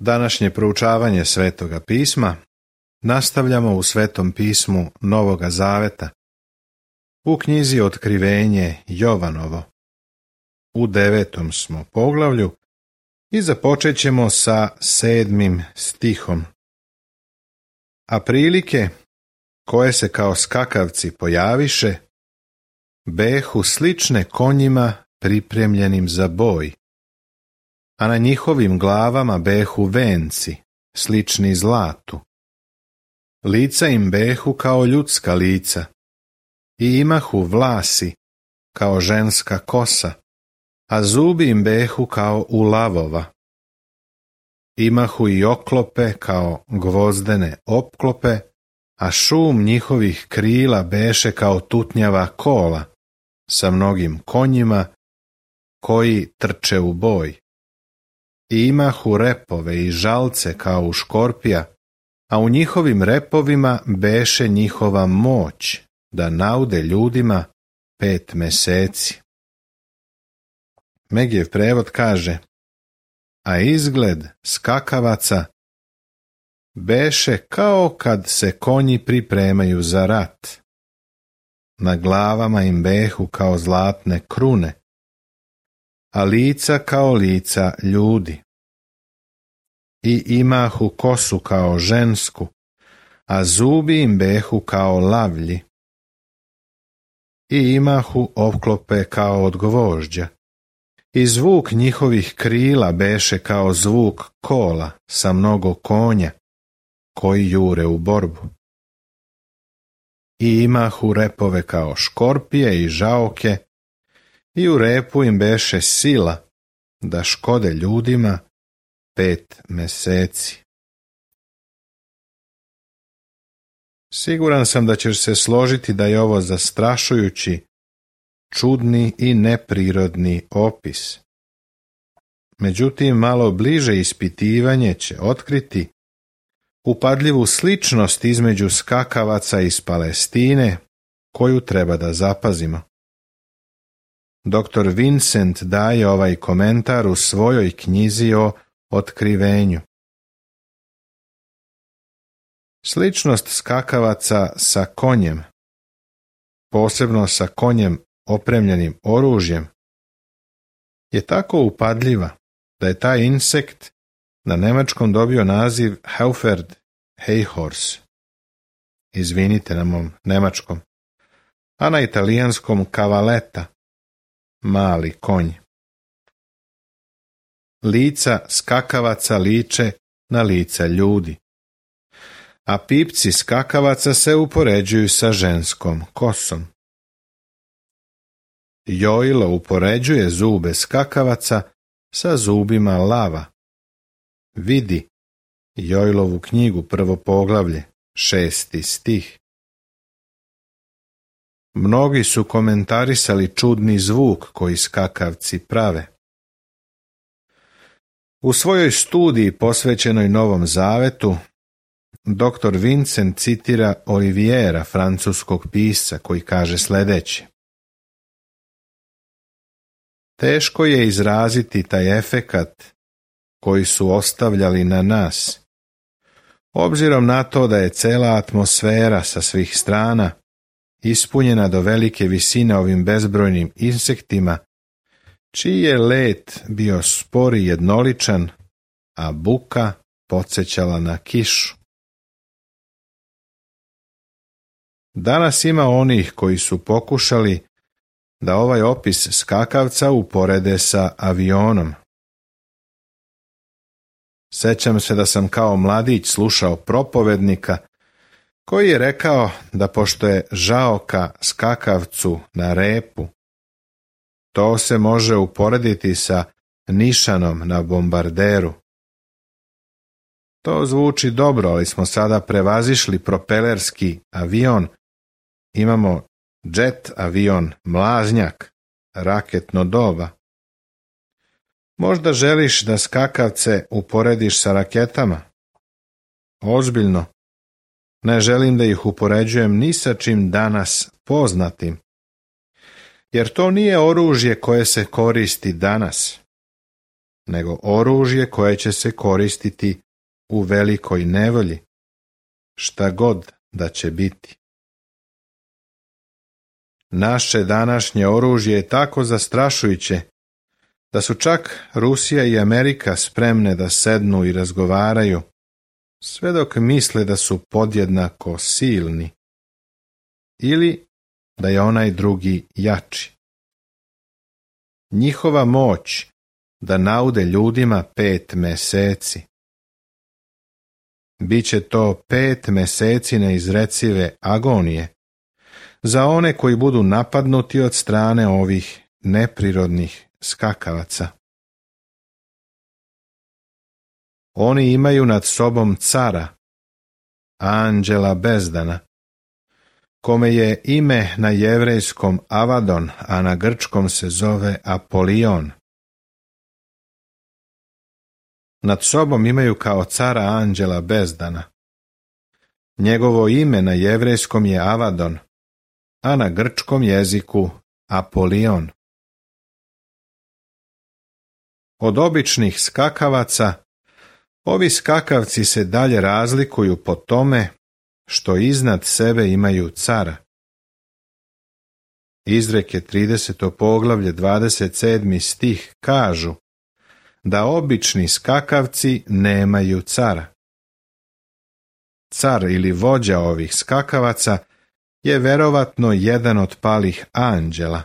Današnje proučavanje Svetoga pisma nastavljamo u Svetom pismu Novoga Zaveta, u knjizi Otkrivenje Jovanovo. U 9. smo poglavlju i započet ćemo sa 7. stihom. A prilike, koje se kao skakavci pojaviše, behu slične konjima pripremljenim za boj, a na njihovim glavama behu venci, slični zlatu. Lica im behu kao ljudska lica, i imahu vlasi kao ženska kosa, a zubi im behu kao u lavova. Imahu i oklope kao gvozdene opklope, a šum njihovih krila beše kao tutnjava kola, sa mnogim konjima koji trče u boj. I imahu repove i žalce kao u škorpija, a u njihovim repovima beše njihova moć da naude ljudima 5 meseci. Megijev prevod kaže: a izgled skakavaca beše kao kad se konji pripremaju za rat. Na glavama im behu kao zlatne krune, a lica kao lica ljudi. I imahu kosu kao žensku, a zubi im behu kao lavlji. I imahu opklope kao od gvožđa, i zvuk njihovih krila beše kao zvuk kola sa mnogo konja, koji jure u borbu. I imahu repove kao škorpije i žaoke, i u repu im beše sila da škode ljudima 5 meseci. Siguran sam da ćeš se složiti da je ovo zastrašujući, čudni i neprirodni opis. Međutim, malo bliže ispitivanje će otkriti upadljivu sličnost između skakavaca iz Palestine, koju treba da zapazimo. Dr. Vincent daje ovaj komentar u svojoj knjizi o Otkrivenju. Sličnost skakavaca sa konjem, posebno sa konjem opremljenim oružjem, je tako upadljiva da je taj insekt na nemačkom dobio naziv Heuferd Heihors. Izvinite na mom nemačkom. A na italijanskom cavaletta, mali konj. Lica skakavaca liče na lica ljudi, a pipci skakavaca se upoređuju sa ženskom kosom. Jojlo upoređuje zube skakavaca sa zubima lava. Vidi Jojlovu knjigu, 1. poglavlje, 6. stih. Mnogi su komentarisali čudni zvuk koji skakavci prave. U svojoj studiji posvećenoj Novom Zavetu, dr. Vincent citira Oliviera, francuskog pisca, koji kaže sljedeće: teško je izraziti taj efekat koji su ostavljali na nas, obzirom na to da je cela atmosfera sa svih strana ispunjena do velike visine ovim bezbrojnim insektima, čiji je let bio spor i jednoličan, a buka podsjećala na kišu. Danas ima onih koji su pokušali da ovaj opis skakavca uporede sa avionom. Sećam se da sam kao mladić slušao propovednika koji je rekao da pošto je žaoka skakavcu na repu, to se može uporediti sa nišanom na bombarderu. To zvuči dobro, ali smo sada prevazišli propelerski avion, imamo jet avion, mlaznjak, raketno doba. Možda želiš da skakavce uporediš sa raketama? Ozbiljno, ne želim da ih upoređujem ni sa čim danas poznatim, jer to nije oružje koje se koristi danas. nego oružje koje će se koristiti u velikoj nevolji, šta god da će biti. Naše današnje oružje je tako zastrašujuće da su čak Rusija i Amerika spremne da sednu i razgovaraju, sve dok misle da su podjednako silni ili da je onaj drugi jači. Njihova moć da naude ljudima 5 meseci. Biće to 5 meseci neizrecive agonije za one koji budu napadnuti od strane ovih neprirodnih skakavaca. Oni imaju nad sobom cara, anđela bezdana, kome je ime na jevrejskom Avadon, a na grčkom se zove Apolion. Nad sobom imaju kao cara anđela bezdana. Njegovo ime na jevrejskom je Avadon, a na grčkom jeziku Apolion. Od običnih skakavaca, ovi skakavci se dalje razlikuju po tome što iznad sebe imaju cara. Izreke 30. poglavlje 27. stih kažu da obični skakavci nemaju cara. Car ili vođa ovih skakavaca je verovatno jedan od palih anđela,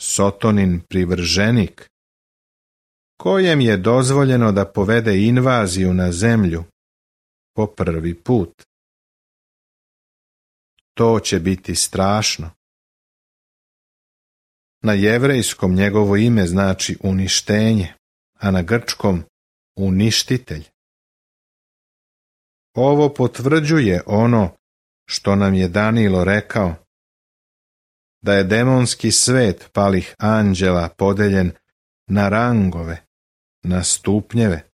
Sotonin privrženik, kojem je dozvoljeno da povede invaziju na zemlju po prvi put. To će biti strašno. Na jevrejskom njegovo ime znači uništenje, a na grčkom uništitelj. Ovo potvrđuje ono što nam je Danilo rekao, da je demonski svet palih anđela podeljen na rangove, na stupnjeve.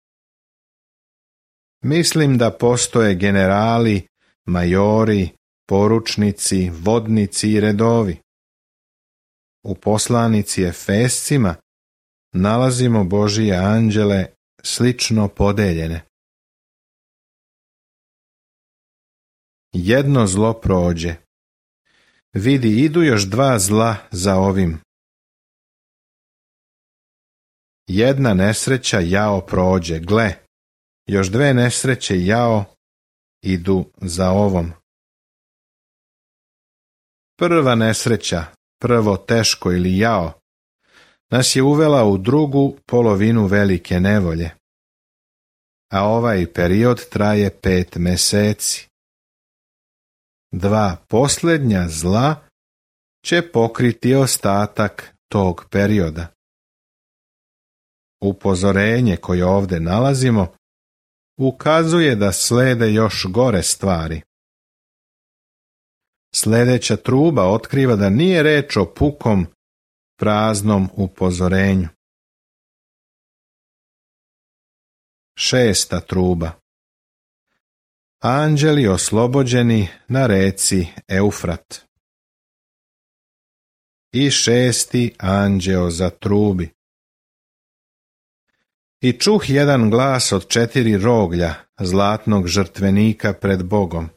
Mislim da postoje generali, majori, poručnici, vodnici i redovi. U poslanici Efescima nalazimo Božije anđele slično podeljene. Jedno zlo prođe. Vidi, idu još 2 zla za ovim. Jedna nesreća jao prođe, gle, još 2 nesreće jao idu za ovom. Prva nesreća, prvo teško ili jao, nas je uvela u drugu polovinu velike nevolje, a ovaj period traje 5 meseci. 2 posljednja zla će pokriti ostatak tog perioda. Upozorenje koje ovdje nalazimo ukazuje da slede još gore stvari. Sljedeća truba otkriva da nije reč o pukom, praznom upozorenju. 6. truba. Anđeli oslobođeni na reci Eufrat. I 6. anđeo zatrubi. I čuh jedan glas od 4 roglja zlatnog žrtvenika pred Bogom,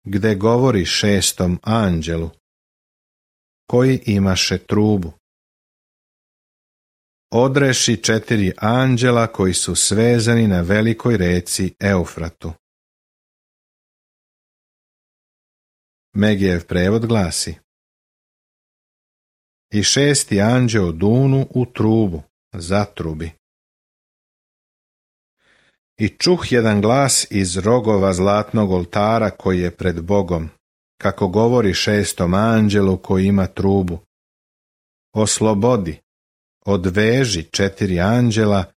gde govori 6. anđelu, koji imaše trubu. Odreši 4 anđela koji su svezani na velikoj reci Eufratu. Megijev prevod glasi: I 6. anđeo dunu u trubu, zatrubi. I čuh jedan glas iz rogova zlatnog oltara koji je pred Bogom, kako govori 6. anđelu koji ima trubu: Oslobodi, odveži 4 anđela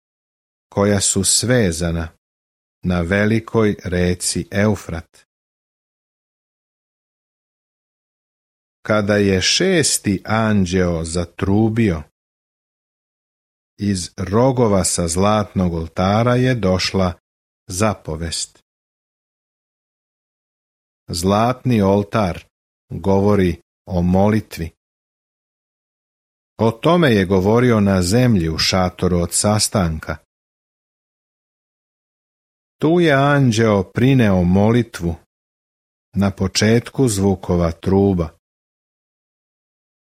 koja su svezana na velikoj reci Eufrat. Kada je 6. anđeo zatrubio, iz rogova sa zlatnog oltara je došla zapovest. Zlatni oltar govori o molitvi. O tome je govorio na zemlji u šatoru od sastanka. Tu je anđeo prineo molitvu na početku zvukova truba.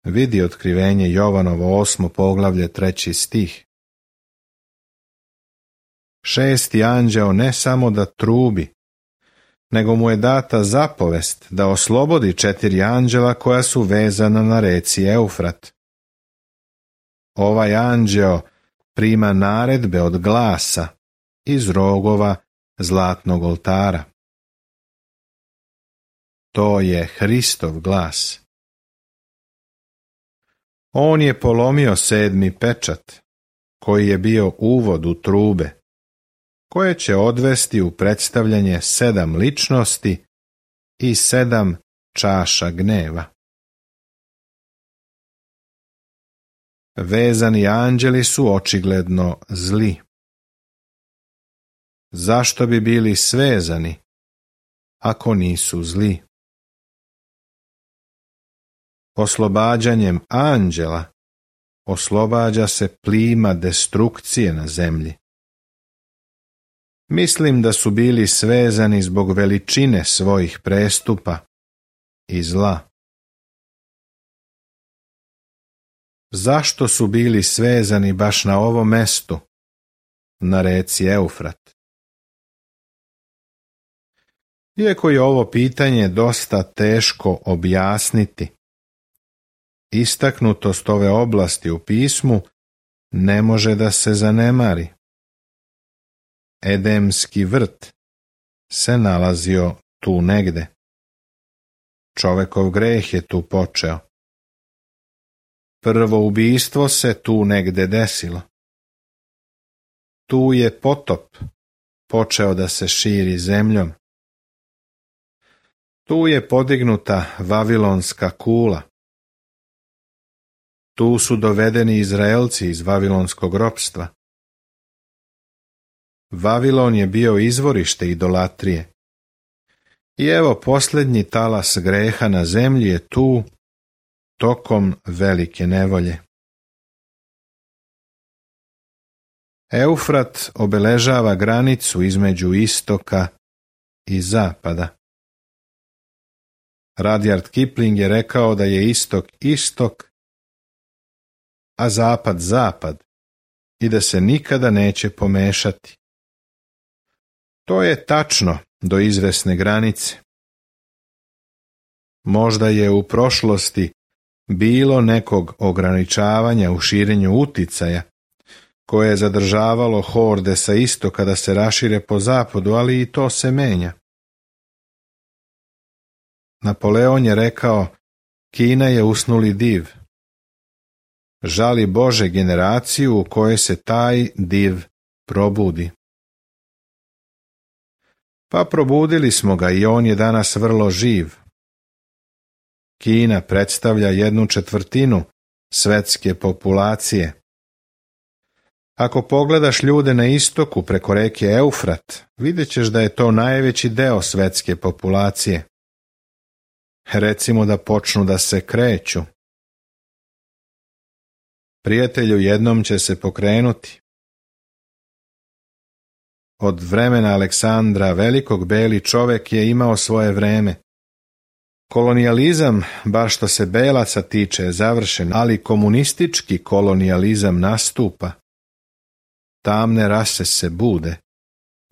Vidi otkrivenje Jovanovo 8. poglavlje 3. stih. 6. anđeo ne samo da trubi, nego mu je data zapovest da oslobodi 4 anđela koja su vezana na reci Eufrat. Ovaj anđeo prima naredbe od glasa iz rogova zlatnog oltara. To je Hristov glas. On je polomio 7. pečat, koji je bio uvod u trube, koje će odvesti u predstavljanje 7 ličnosti i 7 čaša gneva. Vezani anđeli su očigledno zli. Zašto bi bili svezani, ako nisu zli? Oslobađanjem anđela oslobađa se plima destrukcije na zemlji. Mislim da su bili svezani zbog veličine svojih prestupa i zla. Zašto su bili svezani baš na ovom mestu, na reci Eufrat? Iako je ovo pitanje dosta teško objasniti, istaknutost ove oblasti u pismu ne može da se zanemari. Edemski vrt se nalazio tu negde. Čovekov greh je tu počeo. Prvo ubistvo se tu negde desilo. Tu je potop počeo da se širi zemljom. Tu je podignuta Vavilonska kula. Tu su dovedeni Izraelci iz vavilonskog ropstva. Vavilon je bio izvorište idolatrije. I evo posljednji talas greha na zemlji je tu, tokom velike nevolje. Eufrat obeležava granicu između istoka i zapada. Rudyard Kipling je rekao da je istok istok, a zapad zapad, i da se nikada neće pomešati. To je tačno do izvesne granice. Možda je u prošlosti bilo nekog ograničavanja u širenju uticaja, koje je zadržavalo horde sa istoka da se rašire po zapadu, ali i to se menja. Napoleon je rekao, Kina je usnuli div. Žali Bože generaciju u kojoj se taj div probudi. Pa probudili smo ga i on je danas vrlo živ. Kina predstavlja 1/4 svetske populacije. Ako pogledaš ljude na istoku preko reke Eufrat, vidjet ćeš da je to najveći deo svetske populacije. Recimo da počnu da se kreću. Prijatelju, jednom će se pokrenuti. Od vremena Aleksandra Velikog beli čovek je imao svoje vreme. Kolonijalizam, bar što se belaca tiče, je završen, ali komunistički kolonijalizam nastupa. Tamne rase se bude.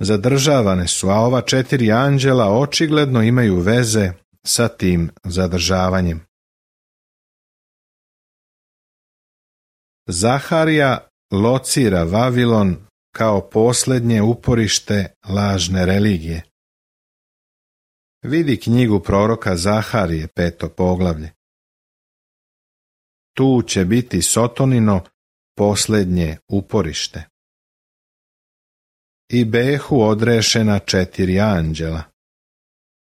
Zadržavane su, a ova 4 anđela očigledno imaju veze sa tim zadržavanjem. Zaharija locira Vavilon kao posljednje uporište lažne religije. Vidi knjigu proroka Zaharije, 5. poglavlje. Tu će biti Sotonino posljednje uporište. I behu odrešena 4 anđela,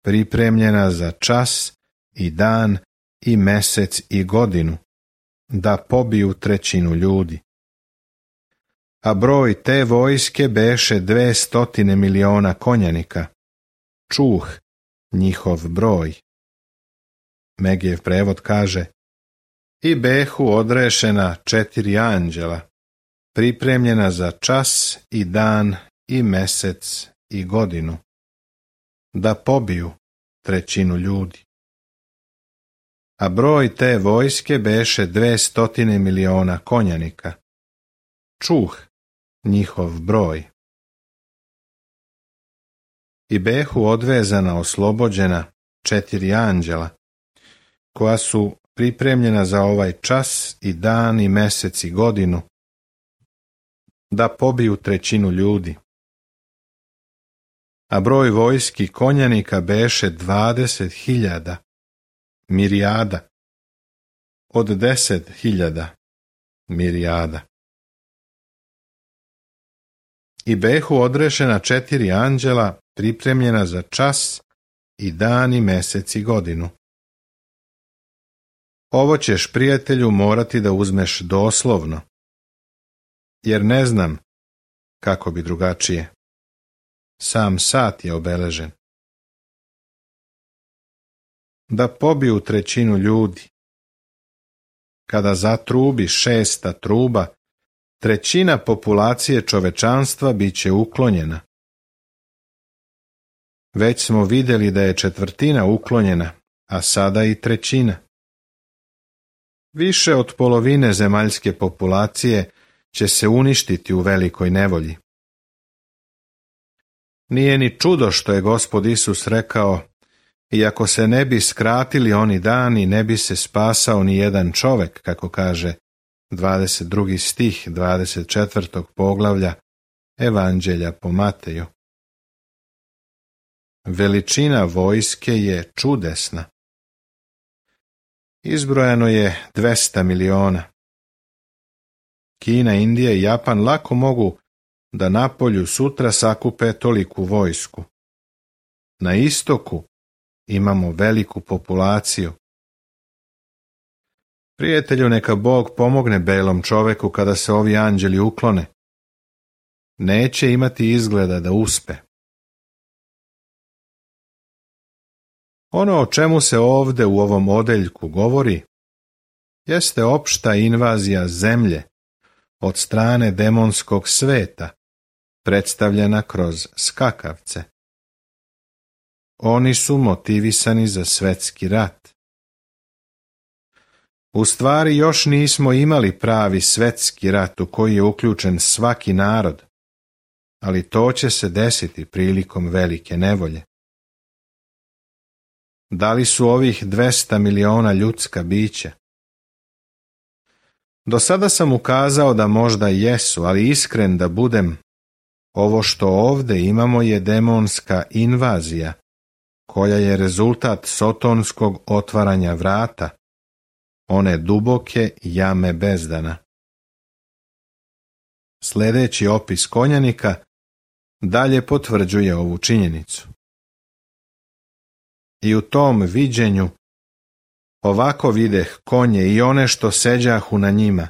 pripremljena za čas i dan i mesec i godinu, da pobiju 1/3 ljudi. A broj te vojske beše 200 miliona konjanika, čuh njihov broj. Megijev prevod kaže, I behu odrešena 4 anđela, pripremljena za čas i dan i mesec i godinu, da pobiju 1/3 ljudi. A broj te vojske beše 200 miliona konjanika. Čuh njihov broj. I behu odvezana, oslobođena 4 anđela, koja su pripremljena za ovaj čas i dan i mesec i godinu, da pobiju 1/3 ljudi. A broj vojski konjanika beše 20.000 mirijada, od 10.000 mirijada. I behu odrešena 4 anđela, pripremljena za čas i dan i mesec i godinu. Ovo ćeš, prijatelju, morati da uzmeš doslovno, jer ne znam kako bi drugačije. Sam sat je obeležen. Da pobiju 1/3 ljudi. Kada zatrubi 6. truba, 1/3 populacije čovečanstva bit će uklonjena. Već smo vidjeli da je 1/4 uklonjena, a sada i 1/3. Više od polovine zemaljske populacije će se uništiti u velikoj nevolji. Nije ni čudo što je Gospod Isus rekao: iako se ne bi skratili oni dani, ne bi se spasao ni jedan čovek, kako kaže 22. stih 24. poglavlja Evanđelja po Mateju. Veličina vojske je čudesna. Izbrojano je 200 miliona. Kina, Indija i Japan lako mogu da napolju sutra sakupe toliku vojsku. Na istoku imamo veliku populaciju. Prijatelju, neka Bog pomogne belom čoveku kada se ovi anđeli uklone. Neće imati izgleda da uspe. Ono o čemu se ovde u ovom odeljku govori jeste opšta invazija zemlje od strane demonskog sveta, predstavljena kroz skakavce. Oni su motivisani za svetski rat. U stvari još nismo imali pravi svetski rat u koji je uključen svaki narod, ali to će se desiti prilikom velike nevolje. Da li su ovih 200 miliona ljudska bića? Do sada sam ukazao da možda jesu, ali iskren da budem, ovo što ovde imamo je demonska invazija, koja je rezultat sotonskog otvaranja vrata, one duboke jame bezdana. Sljedeći opis konjanika dalje potvrđuje ovu činjenicu. I u tom viđenju ovako videh konje i one što seđahu na njima.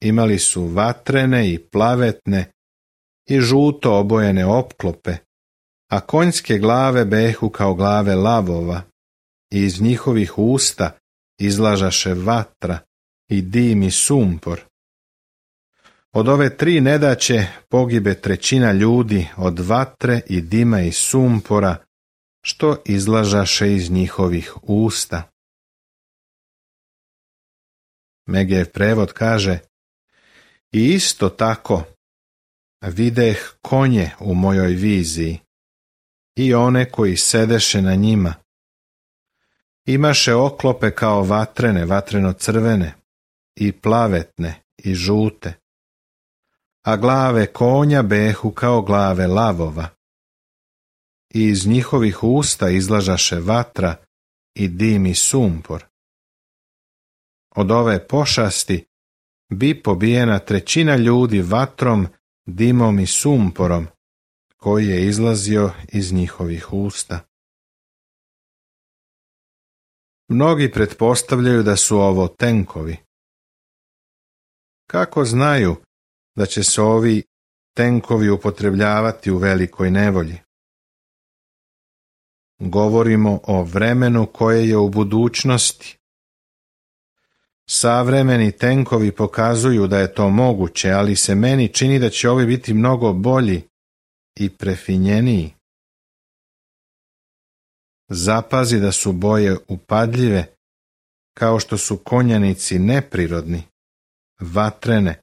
Imali su vatrene i plavetne i žuto obojene opklope, a konjske glave behu kao glave lavova i iz njihovih usta izlažaše vatra i dim i sumpor. Od ove 3 nedaće pogibe 1/3 ljudi od vatre i dima i sumpora, što izlažaše iz njihovih usta. Megev prevod kaže: i isto tako videh konje u mojoj viziji i one koji sedeše na njima. Imaše oklope kao vatrene, vatreno-crvene i plavetne i žute, a glave konja behu kao glave lavova. I iz njihovih usta izlažaše vatra i dim i sumpor. Od ove pošasti bi pobijena 1/3 ljudi vatrom, dimom i sumporom, koji je izlazio iz njihovih usta. Mnogi pretpostavljaju da su ovo tenkovi. Kako znaju da će se ovi tenkovi upotrebljavati u velikoj nevolji? Govorimo o vremenu koje je u budućnosti. Savremeni tenkovi pokazuju da je to moguće, ali se meni čini da će ovi biti mnogo bolji i prefinjeniji. Zapazi da su boje upadljive, kao što su konjanici neprirodni, vatrene,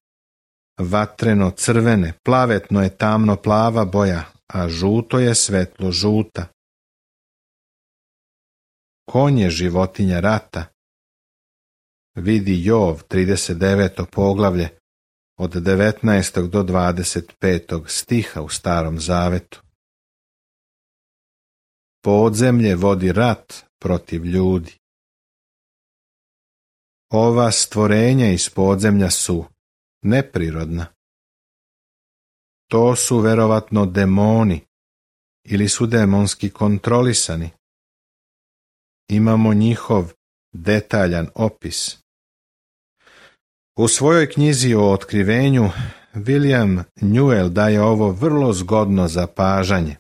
vatreno-crvene, plavetno je tamno-plava boja, a žuto je svetlo-žuta. Konj je životinja rata. Vidi Jov, 39. poglavlje, od 19. do 25. stiha u Starom Zavetu. Podzemlje vodi rat protiv ljudi. Ova stvorenja iz podzemlja su neprirodna. To su verovatno demoni ili su demonski kontrolisani. Imamo njihov detaljan opis. U svojoj knjizi o otkrivenju William Newell daje ovo vrlo zgodno zapažanje.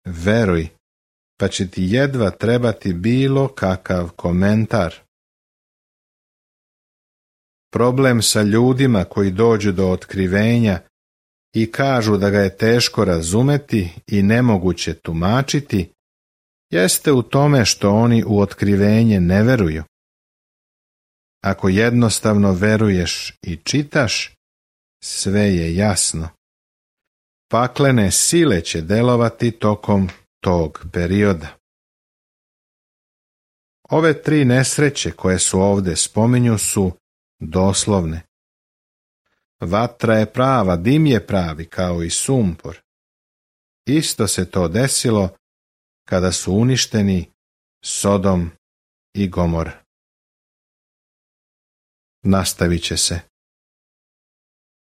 Veruj, pa će ti jedva trebati bilo kakav komentar. Problem sa ljudima koji dođu do otkrivenja i kažu da ga je teško razumeti i nemoguće tumačiti, jeste u tome što oni u otkrivenje ne veruju. Ako jednostavno veruješ i čitaš, sve je jasno. Paklene sile će delovati tokom tog perioda. Ove 3 nesreće koje su ovdje spominju su doslovne. Vatra je prava, dim je pravi kao i sumpor. Isto se to desilo kada su uništeni Sodom i Gomora. Nastavit će se